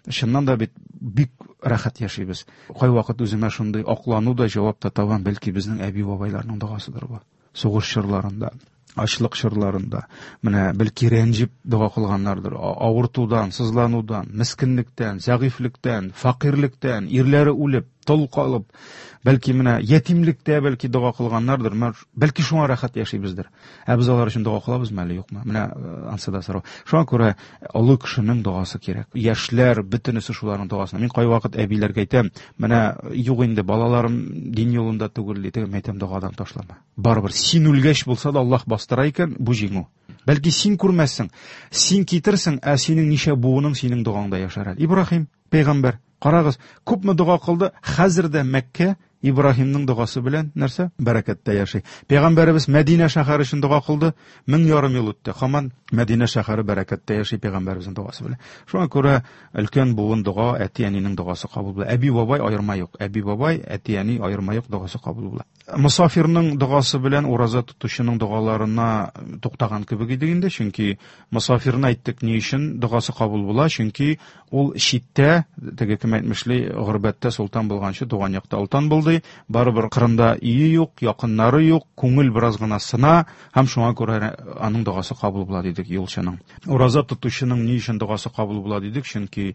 чыннан да бит бик рәхәт яшибез. Кайвакыт үземә шундый аклану да җавап та табам, бәлки безнең әби-бабайларның догасыдыр бу. Сугыш чорларында, ачлык чорларында, менә бәлки рәнҗеп дога кылганнардыр, авыртудан, сызланудан, мескенлектән, зәгыйфьлектән, фәкыйрьлектән, ирләре үлеп, тол калып, бәлки менә ятимлектә бәлки дога кылганнардыр, бәлки шуңа рәхәт яшибездер. Ә без алар өчен дога кылабызмы әле, юкмы? Менә ансы да сорау. Шуңа күрә олы кешенең догасы кирәк. Яшьләр бөтенесе шуларның догасына. Мин кайвакыт әбиләргә әйтәм, менә юк инде балаларым дин юлында түгел ди, мин әйтәм, догадан ташлама. Барыбер син үлгәч булса да Аллаһ бастыра икән, бу җиңү. Бәлки син күрмәссең, син китерсең, ә синең ничә буының синең догаңда яшәр әле. Ибраһим пәйгамбәр, карагыз, күпме дога кылды, хәзер дә Мәккә Ибраһимның догасы белән нәрсә? Бәрәкәттә яши. Пәйгамбәребез Мәдинә шәһәре өчен дога кылды, мең ярым ел үтте. Һаман Мәдинә шәһәре бәрәкәттә яши пәйгамбәребезнең догасы белән. Шуңа күрә өлкән буын дога, әти-әнинең догасы кабул була. Әби-бабай аерма юк. Әби-бабай, әти-әни аерма юк, догасы кабул була. Мосафирның догасы белән ураза тотучының догаларына туктаган кебек идек инде, чөнки мосафирны әйттек ни өчен догасы кабул була, чөнки ул читтә, теге кем әйтмешли, горбәттә солтан булганчы туган якта олтан булды. Барыбер кырында өе юк, якыннары юк, күңел бераз гына сына, һәм шуңа күрә аның догасы кабул була дидек юлчының. Ураза тотучының ни өчен догасы кабул була дидек, чөнки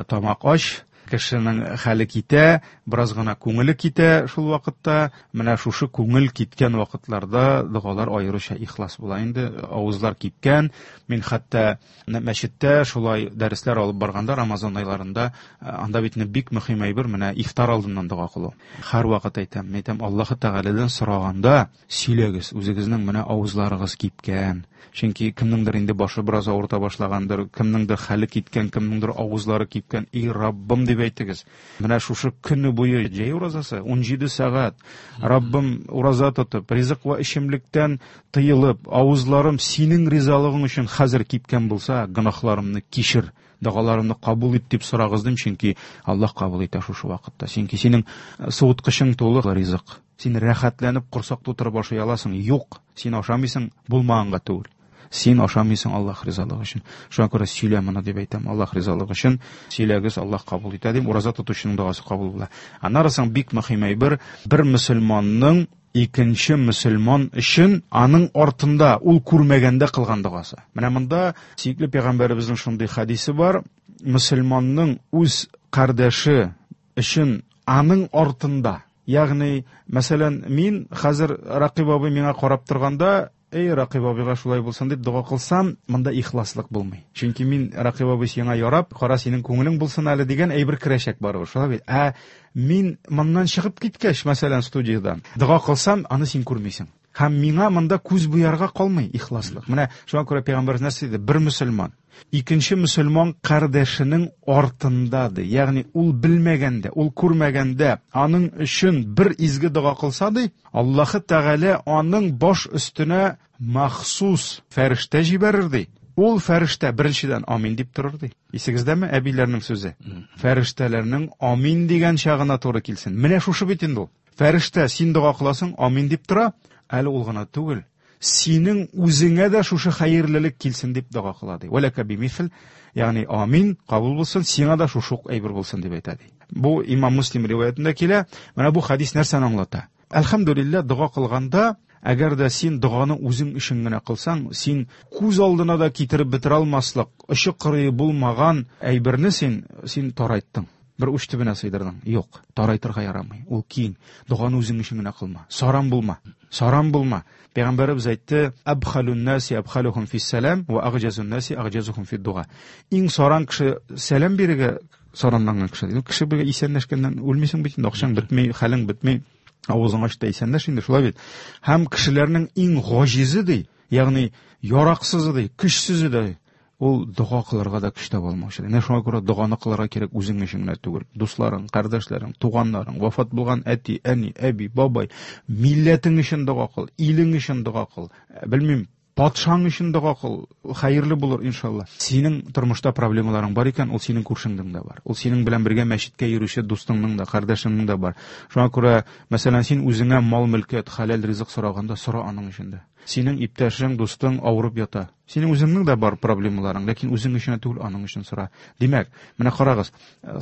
тамак ач, кешенең хәле китә, бераз гына күңеле китә шул вакытта. Менә шушы күңел киткән вакытларда догалар аеруча ихлас була инде, авызлар кипкән. Мин хәтта мәчеттә шулай дәресләр алып барганда Рамазан айларында, анда бит бик мөһим әйбер, менә ифтар алдыннан дога кылу. Һәрвакыт әйтәм, әйтәм, Аллаһ Тәгаләдән сораганда сөйләгез, үзегезнең менә авызларыгыз кипкән. Чөнки кемнеңдер инде башы бераз авырта башлагандыр, кемнеңдер хәле киткән, кемнеңдер авызлары кипкән. Эй, Раббым дип әйтегез. Менә шушы көне буе җәй уразасы ун җиде сәгать. Раббым ураза тотып, ризык вә эчемлектән тыелып, авызларым синең ризалыгың өчен хәзер кипкән булса, гөнаһларымны кичер, догаларымны кабул ит дип сорагыз дим, чөнки Аллаһ кабул итә шушы вакытта. Чөнки синең суыткычың тулы ризык. Син рәхәтләнеп корсак тутырып ашый аласың. Юк, син ашамыйсың, булмаганга түгел. Син ашамыйсың Аллаһ ризалыгы өчен. Шуңа күрә сөйлә моны дип әйтәм, Аллаһ ризалыгы өчен сөйләгез, Аллаһ кабул итә дим. Ураза тотучының догасы кабул була. Аннары соң бик мөһим әйбер, бер мөселманның икенче мөселман өчен аның артында ул күрмәгәндә кылган догасы. Менә монда сөекле пәйгамбәребезнең шундый хадисе бар: мөселманның үз кардәше өчен аның артында, ягъни, мәсәлән, мин хәзер Ракыйп абый миңа карап торганда, эй, Ракыйп абыйга шулай булсын дип дога кылсам, монда ихласлык булмый. Чөнки мин Ракыйп абый сиңа ярап, кара синең күңелең булсын әле дигән әйбер керәчәк барыбер, шулай бит. Ә мин моннан чыгып киткәч, мәсәлән, студиядан дога кылсам, аны син күрмисең. Һәм миңа монда күз буярга калмый ихласлык. Менә шуңа күрә пәйгамбәребез нәрсә диде? Бер мөселман икенче мөселман кардәшенең артында ди, ягъни ул белмәгәндә, ул күрмәгәндә аның өчен бер изге дога кылса ди, Аллаһы Тәгалә аның баш өстенә махсус фәрештә җибәрер ди. Ул фәрештә беренчедән амин дип торыр ди. Исегездәме әбиләрнең сүзе? Фәрештәләрнең амин дигән чагына туры килсен. Менә шушы бит инде ул. Фәрештә син дога кыласың, амин дип тора, әле ул гына түгел, синең үзеңә дә шушы хәерлелек килсен дип дога кыла ди. Вәләкә бимисл, ягъни амин кабул булсын, сиңа да шушы ук әйбер булсын дип әйтә ди. Бу Имам Муслим риваятендә килә. Менә бу хадис нәрсәне аңлата? Әлхәмдүлилләһ, дога кылганда, әгәр дә син доганы үзең өчен генә кылсаң, син күз алдына да китереп бетерә алмаслык, очы кырые булмаган әйберне син, син тарайттың. Бер уч төбенә сыйдырдың. Юк, тарайтырга ярамый. Ул киң. Доганы үзең өчен генә кылма. Саран булма. Саран булма. Пәйгамбәребез әйтте: "Абхалун наси абхалухум фис-салам ва агҗазун наси агҗазухум фид-дуа". Иң саран кеше сәлам бирергә саранланган кеше. Кеше бергә исәнләшкәннән үлмисең бит инде, акчаң бетми, хәлең бетми, авызың ачта исәнләш инде, шулай бит. Һәм кешеләрнең иң гаҗизе ди, ягъни яраксызы ди, көчсезе ди, ул дога кылырга да көч таба алмаучы. Менә шуңа күрә доганы кылырга кирәк үзең өчен генә түгел. Дусларың, кардәшләрең, туганнарың, вафат булган әти, әни, әби, бабай, милләтең өчен дога кыл, илең өчен дога кыл. Белмим, Патшаң өчен дога кыл, хәерле булыр иншалла. Синең тормышта проблемаларың бар икән, ул синең күршеңнең дә бар. Ул синең белән бергә мәчеткә йөрүче дустыңның да, кардәшеңнең дә бар. Шуңа күрә, мәсәлән, син үзеңә мал-мөлкәт, хәләл ризык сораганда сора аның өчен дә. Синең иптәшең, дустың авырып ята. Синең үзеңнең дә бар проблемаларың, ләкин үзең өчен түгел, аның өчен сора. Димәк, менә карагыз,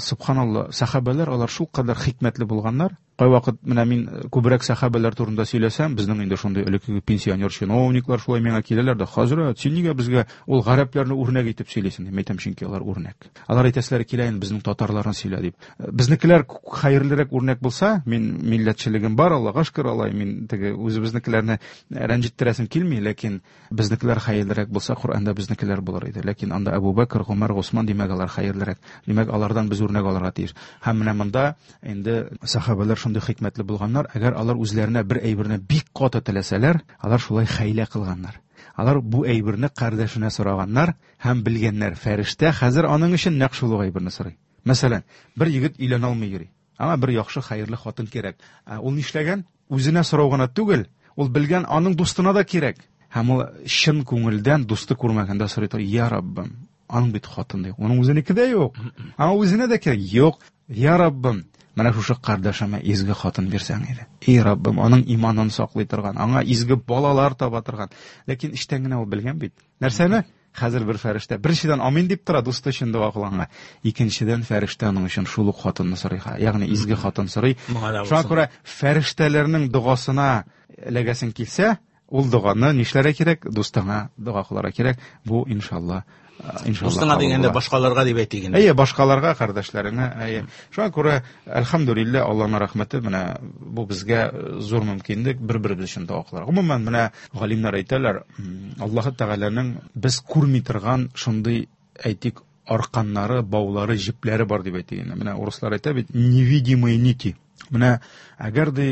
субханалла, сахабәләр алар шул кадәр хикмәтле булганнар. Кайвакыт менә мин күбрәк сахабәләр турында сөйләсәм, безнең инде шундый элеккеге пенсионер чиновниклар шулай миңа киләләр дә, хәзрәт, син нигә безгә ул гарәпләрне үрнәк итеп сөйлисең? Дип әйтәм, чөнки алар үрнәк. Алар әйтәселәре килә инде безнең татарларны сөйлә дип. Безнекеләр хәерлерәк үрнәк булса, мин милләтчелегем бар, Аллага шөкер, алай мин теге үзебезнекеләрне рәнҗеттерәсем килми, ләкин безнекеләр хәерлерәк булса, Коръәндә безнекеләр булыр иде. Ләкин анда Әбу Бәкр, Гомәр, Госман, димәк, алар хәерлерәк. Димәк, алардан без үрнәк алырга тиеш. Һәм менә монда инде сахабәләр шундый хикмәтле булганнар, әгәр алар үзләренә бер әйберне бик каты теләсәләр, алар шулай хәйлә кылганнар. Алар бу әйберне кардәшенә сораганнар һәм белгәннәр, фәрештә хәзер аның өчен нәкъ шул ук әйберне сорый. Мәсәлән, бер егет өйләнә алмый йөри. Аңа бер яхшы, хәерле хатын кирәк. Ул нишләгән? Үзенә сорау гына түгел, ул белгән аның дустына да кирәк. Һәм ул чын күңелдән дусты күрмәгәндә сорый тора, я Раббым, аның бит хатыны юк, аның үзенеке дә юк. Аңа үзенә дә кирәк. Юк, я Раббым, менә шушы кардәшемә изге хатын бирсәң иде. Эй Раббым, аның иманын саклый торган, аңа изге балалар таба торган. Ләкин эчтән генә ул белгән бит. Нәрсәне? Хәзер бер фәрештә беренчедән амин дип тора дусты өчен дога кылганга. Икенчедән фәрештә аның өчен шул ук хатынны сорый, ягъни изге хатын сорый. Шуңа күрә фәрештәләрнең догасына эләгәсең килсә, ул доганы нишләргә кирәк? Дустыңа дога кылырга кирәк. Бу иншалла, иншалла. Дустыңа дигәндә башкаларга дип әйтик инде. Әйе, башкаларга, кардәшләреңә, әйе. Шуңа күрә әлхәмдүлилләһ, Аллаһның рәхмәте, менә бу безгә зур мөмкинлек бер-беребез өчен дога кылырга. Гомумән, менә галимнәр әйтәләр, Аллаһ Тәгаләнең без күрми торган шундый, әйтик, арканнары, баулары, җепләре бар дип әйтик инде. Менә урыслар әйтә бит, невидимые нити. Менә әгәр ди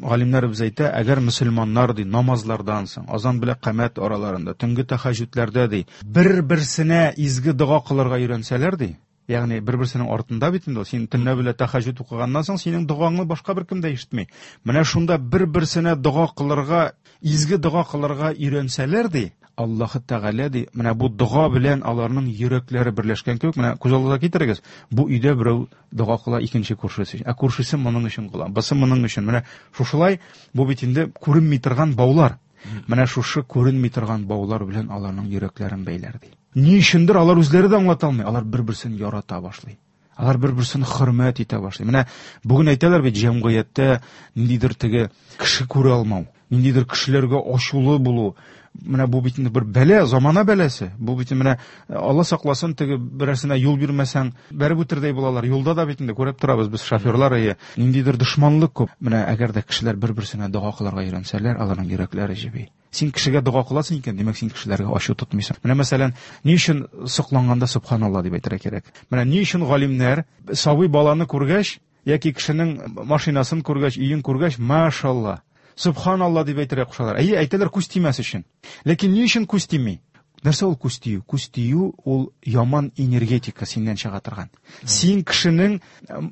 галимнәребез әйтә, әгәр мөселманнар ди намазлардан соң, азан белән камәт араларында, төнге тәһәҗҗүдләрдә ди, бер-берсенә изге дога кылырга өйрәнсәләр ди, ягъни бер-берсенең артында бит инде, син төнлә белән тәһәҗҗүд укыганнан соң синең догаңны башка беркем дә ишетми. Менә шунда бер-берсенә дога кылырга, изге дога кылырга өйрәнсәләр ди, Аллаһ Тәгалә ди, менә бу дога белән аларның йөрәкләре берләшкән кебек, менә күз алдыгызга китерегез, бу өйдә берәү дога кыла икенче күршесе, ә күршесе моның өчен кыла, бусы моның өчен. Менә шушылай бу бит инде күренми торган баулар. Менә шушы күренми торган баулар белән аларның йөрәкләрен бәйләр ди. Ни өчендер алар үзләре дә аңлата алмый, алар бер-берсен ярата башлый. Алар бер-берсен хөрмәт итә башлый. Менә бүген әйтәләр бит, җәмгыятьтә ниндидер теге кеше күрә алмау, ниндидер кешеләргә ачулы булу. Менә бу бит инде бер бәла, замана бәласе. Бу бит менә Алла сакласын, теге берәрсенә юл бирмәсәң, бәреп үтердәй булалар. Юлда да бит инде күреп торабыз без шоферлар, әйе, ниндидер дошманлык күп. Менә әгәр дә кешеләр бер-берсенә дога кылырга өйрәнсәләр, аларның йөрәкләре җеби. Син кешегә дога кыласың икән, димәк, син кешеләргә ачу тотмыйсың. Менә мәсәлән, ни өчен сокланганда субханалла дип әйтергә кирәк? Менә ни өчен галимнәр сабый баланы күргәч яки кешенең машинасын күргәч, өен күргәч, машалла, субханалла дип әйтергә кушалар. Әйе, әйтәләр күз тимәс өчен. Ләкин ни өчен күз тими? Нәрсә ул күз тию? Күз тию ул яман энергетика синнән чыга торган. Син кешенең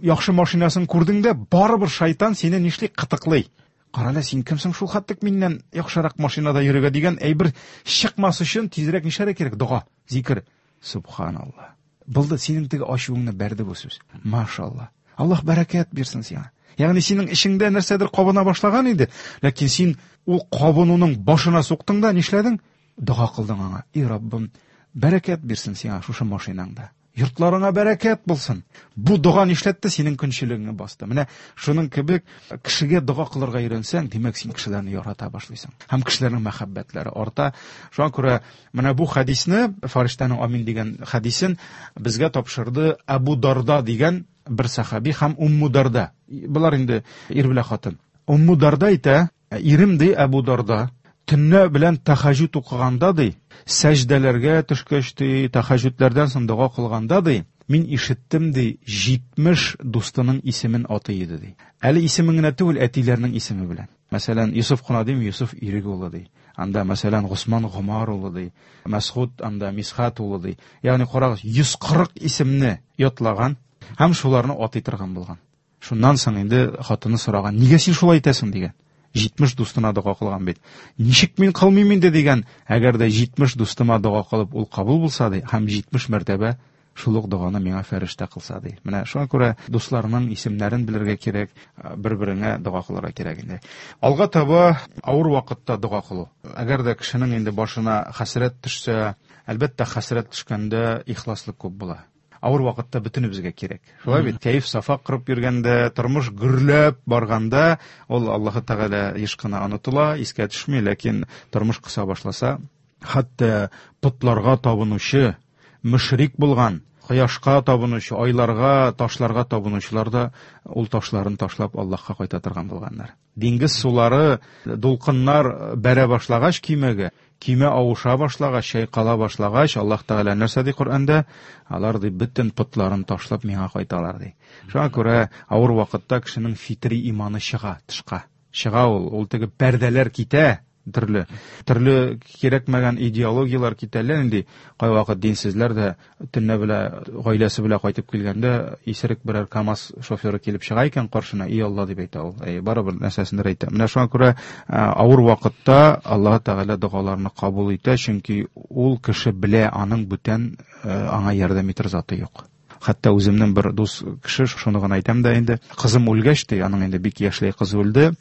яхшы машинасын күрдең дә, барыбер шайтан сине нишли? Кытыклый. Карале, син кемсең шул хәтлек миннән яхшырак машинада йөрергә дигән әйбер чыкмас өчен тизрәк нишләргә кирәк? Дога, зикр. Субханалла. Булды, синең теге ачуыңны бәрде бу сүз. Машалла. Аллаһ бәрәкәт бирсен сиңа. Ягъни синең эчеңдә нәрсәдер кабына башлаган иде, ләкин син ул кабынуның башына суктың да нишләдең? Дога кылдың аңа. И Раббым, бәрәкәт бирсен сиңа шушы машинаңда. Йортларыңа бәрәкәт булсын. Бу дога нишләтте? Синең көнчелегеңне басты. Менә шуның кебек кешегә дога кылырга өйрәнсәң, димәк, син кешеләрне ярата башлыйсың. Һәм кешеләрнең мәхәббәтләре арта. Шуңа күрә менә бу хадисне, фәрештәнең амин дигән хадисен безгә тапшырды Абу Дарда дигән бер сахаби һәм Умму Дарда. Булар инде ир белән хатын. Умму Дарда әйтә, ирем ди Абу Дарда, төнлә белән тәһәҗҗүд укыганда ди, сәҗдәләргә төшкәч ди, тәһәҗҗүдләрдән соң дога кылганда ди, мин ишеттем ди, җитмеш дустының исемен атый иде ди. Әле исемен генә түгел, әтиләрнең исеме белән. Мәсәлән, Юсуф кына дим, Юсуф Ирек улы ди. Анда мәсәлән Госман Гомар улы ди, Мәсгуд анда Мисхат улы ди. Ягъни карагыз, йөз кырык исемне ятлаган һәм шуларны атый торган булган. Шуннан соң инде хатыны сораган, нигә син шулай итәсең дигән. җитмеш дустына дога кылган бит. Ничек мин кылмыйм инде дигән, әгәр дә җитмеш дустыма дога кылып ул кабул булса ди, һәм җитмеш мәртәбә шул ук доганы миңа фәрештә кылса ди. Менә шуңа күрә дусларның исемнәрен белергә кирәк, бер-береңә дога кылырга кирәк инде. Алга таба авыр вакытта дога кылу. Әгәр дә кешенең инде башына хәсрәт төшсә, әлбәттә хәсрәт төшкәндә ихласлык күп була. Авыр вакытта бөтенебезгә кирәк. Шулай бит, кәеф сафа кырып йөргәндә, тормыш гөрләп барганда, ул Аллаһы Тәгалә еш кына онытыла, искә төшми, ләкин тормыш кыса башласа, хәтта потларга табынучы, мөшрик булган, кояшка табынучы, айларга, ташларга табынучылар да ул ташларын ташлап Аллаһка кайта торган булганнар. Диңгез сулары, дулкыннар бәрә башлагач кимәгә, кимә авыша башлагач, чайкала башлагач, Аллаһ Тәгалә нәрсә ди Коръәндә? Алар ди бөтен потларын ташлап миңа кайталар ди. Шуңа күрә авыр вакытта кешенең фитри иманы чыга тышка. Чыга ул, ул теге пәрдәләр китә, төрле төрле кирәкмәгән идеологияләр китәләр инде. Кайвакыт динсезләр дә төнлә белә гаиләсе белән кайтып килгәндә исерек берәр КАМАЗ шоферы килеп чыга икән каршына, "И Алла" дип әйтә ул. Әй, барыбер нәрсәсендер әйтә. Менә шуңа күрә авыр вакытта Аллаһ Тәгалә догаларны кабул итә, чөнки ул кеше белә, аның бүтән аңа ярдәм итер заты юк. Хәтта үземнең бер дус кеше, шуны гына әйтәм дә инде, кызым үлгәч ди, аның инде бик яшьләй кызы үлде,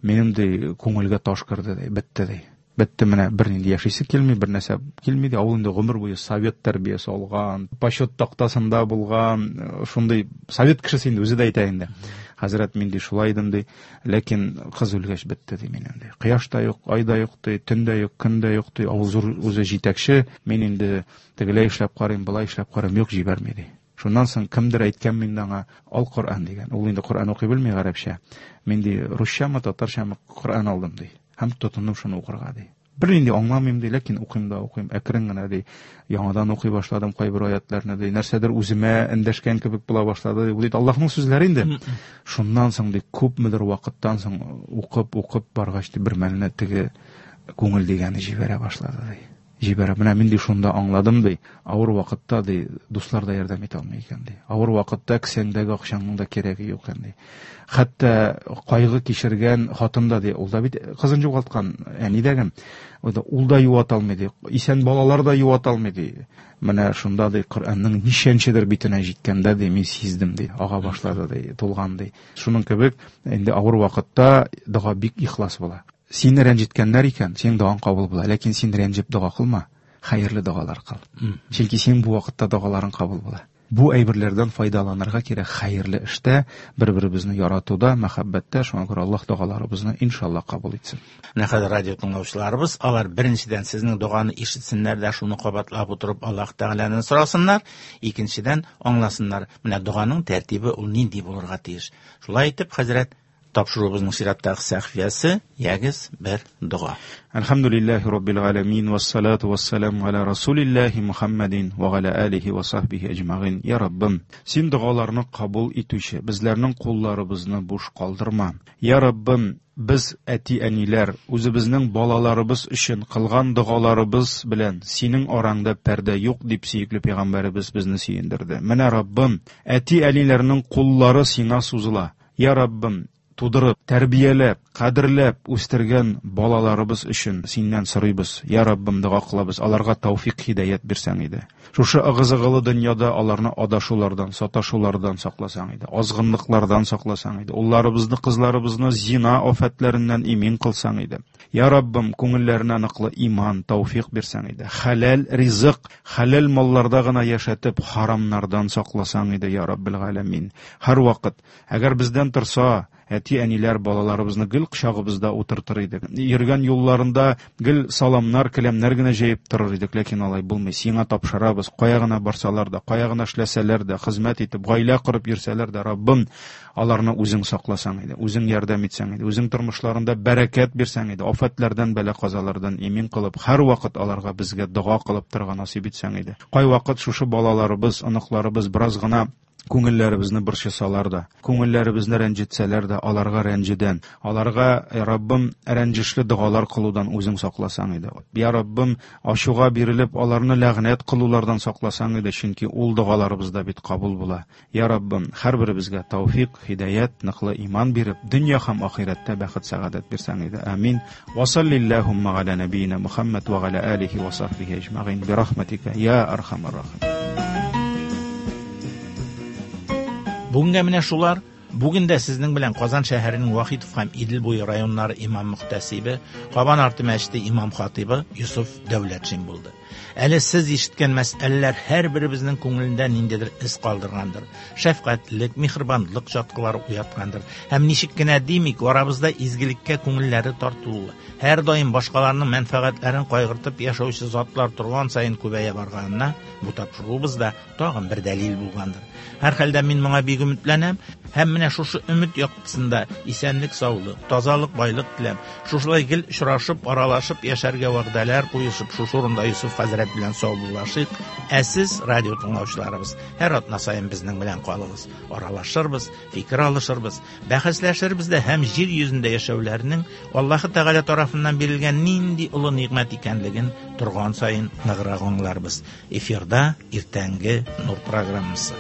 минем ди күңелгә таш керде ди, бетте ди. Бетте, менә бернинди яшисе килми, бер нәрсә килми ди. Ул инде гомер буе совет тәрбиясе алган, почет тактасында булган, шундый совет кешесе инде, үзе дә әйтә инде. Хәзрәт, мин ди шулай идем ди, ләкин кыз үлгәч бетте ди минем ди. Кояш та юк, ай да юк ди, төн дә юк, көн дә юк ди. Ул зур үзе җитәкче, мин инде тегеләй эшләп карыйм, былай эшләп карыйм, юк, җибәрми ди. Шуннан соң кемдер әйткән миндә аңа ал Коръән дигән. Ул инде Коръән укый белми гарәпчә. Мин ди русчамы, татарчамы Коръән алдым ди. Һәм тотындым шуны укырга ди. Бер инде аңламыйм ди, ләкин укыйм да укыйм. Әкрен генә ди, яңадан укый башладым кайбер аятларны ди. Нәрсәдер үземә эндәшкән кебек була башлады ди. Бу бит Аллаһның сүзләре инде. Шуннан соң ди күпмедер вакыттан соң укып, укып баргач ди бер мәлне теге күңел дигәне җибәрә башлады ди. Җибәрә. Менә мин ди шунда аңладым ди. Авыр вакытта ди дуслар да ярдәм итә алмый икән ди. Авыр вакытта кесәңдәге акчаңның да кирәге юк икән ди. Хәтта кайгы кичергән хатын да ди, ул да бит кызын югалткан әни дәгем. Ул да, ул да юата алмый ди. Исән балалар да юата алмый ди. Менә шунда ди Коръәннең ничәнчедер битенә җиткәндә ди мин сиздем ди, ага башлады ди, тулган ди. Шуның кебек инде авыр вакытта дога бик ихлас була. Сине рәнҗеткәннәр икән, синең догаң кабул була. Ләкин син рәнҗеп дога кылма, хәерле догалар кыл. Чөнки синең бу вакытта догаларың кабул була. Бу әйберләрдән файдаланырга кирәк хәерле эштә, бер-беребезне яратуда, мәхәббәттә. Шуңа күрә Аллаһ догаларыбызны иншаллаһ кабул итсен. Менә хәзер радио тыңлаучыларыбыз, алар беренчедән сезнең доганы ишетсеннәр дә, шуны кабатлап утырып Аллаһ Тәгаләдән сорасыннар, икенчедән аңласыннар. Менә доганың тәртибе ул нинди булырга тиеш. Шулай итеп, хәзрәт, тапшыруыбызның чираттагы сәхифәсе, ягез бер дога. Әлхәмдүлилләһи раббил галәмин, вассалату вассаламу аля расулиллаһи Мухаммадин ва аля алихи ва сахбихи әҗмәгыйн. Я Раббым, син догаларны кабул итүче, безләрнең кулларыбызны буш калдырма. Я Раббым, без әти-әниләр үзебезнең балаларыбыз өчен кылган догаларыбыз белән синең араңда пәрдә юк дип сөекле пәйгамбәребез безне сөендерде. Менә Раббым, әти-әниләрнең куллары сиңа сузыла. Я Раббым, тудырып, тәрбияләп, кадерләп үстергән балаларыбыз өчен синнән сорыйбыз. Я Раббым, дога кылабыз, аларга тәүфик, һидаят бирсәң иде. Шушы ыгы-зыгылы дөньяда аларны адашулардан, саташулардан сакласаң иде, азгынлыклардан сакласаң иде, улларыбызны, кызларыбызны зина афәтләреннән имин кылсаң иде. Я Раббым, күңелләренә ныклы иман, тәүфик бирсәң иде. Хәләл ризык, хәләл малларда гына яшәтеп, харамнардан сакласаң иде, я Раббил галәмин. Һәр вакыт, әгәр бездән торса, әти-әниләр балаларыбызны гел кочагыбызда утыртыр идек. Йөргән юлларында гел саламнар, келәмнәр генә җәеп торыр идек, ләкин алай булмый. Сиңа тапшырабыз, кая гына барсалар да, кая гына эшләсәләр дә, хезмәт итеп, гаилә корып йөрсәләр дә, Раббым, аларны үзең сакласаң иде, үзең ярдәм итсәң иде, үзең тормышларында бәрәкәт бирсәң иде, афәтләрдән, бәла-казалардан имин кылып, һәр вакыт аларга безгә дога кылып торырга насыйп итсәң иде. Кайвакыт шушы балаларыбыз, оныкларыбыз бераз гына Күңелләребезне борчысалар да, күңелләребезне рәнҗетсәләр дә, аларга рәнҗедән, аларга, я Раббым, рәнҗешле догалар кылудан үзең сакласаң иде. Я Раббым, ачуга бирелеп, аларны ләгънәт кылулардан сакласаң иде, чөнки ул догаларыбыз да бит кабул була. Я Раббым, һәрберебезгә тәүфик, һидаят, ныклы иман биреп, дөнья һәм ахирәттә бәхет, сәгадәт бирсәң иде. Амин. Ва саллиллахумма аля набийна Мухаммад ва аля алихи ва сахбихи әҗмәгыйн би рахматика я архамар рахим. Бүгенгә менә шулар. Бүген дә сезнең белән Казан шәһәренең Вахитов һәм Идел буе районнары имам мөхтәсибе, Кабан арты мәчете имам хатибы Юсуф Дәүләтшин булды. Әле сез ишеткән мәсьәләләр һәрберебезнең күңелендә ниндидер эз калдыргандыр. Шәфкатьлек, миһербанлык чаткылары уяткандыр. Һәм ничек кенә димик, арабызда изгелеккә күңелләре тартылуы, һәр даим башкаларның мәнфәгатьләрен кайгыртып яшәүче затлар торган саен күбәя барганына бу тапшыруыбыз да тагын бер дәлил булгандыр. Һәр хәлдә мин моңа бик өметләнәм һәм менә шушы өмет яктысында исәнлек, саулык, тазалык, байлык теләп, шушылай гел очрашып, аралашып яшәргә вәгъдәләр куешып, шушы урында Юсуф хәзрәт белән саубуллашыйк. Ә сез, радио тыңлаучыларыбыз, һәр атна саен безнең белән калыгыз. Аралашырбыз, фикер алышырбыз, бәхәсләшербез дә һәм җир йөзендә яшәүләрнең Аллаһы Тәгалә тарафыннан бирелгән нинди олы нигъмәт икәнлеген торган саен ныграк аңларбыз. Эфирда иртәнге Нур программасы.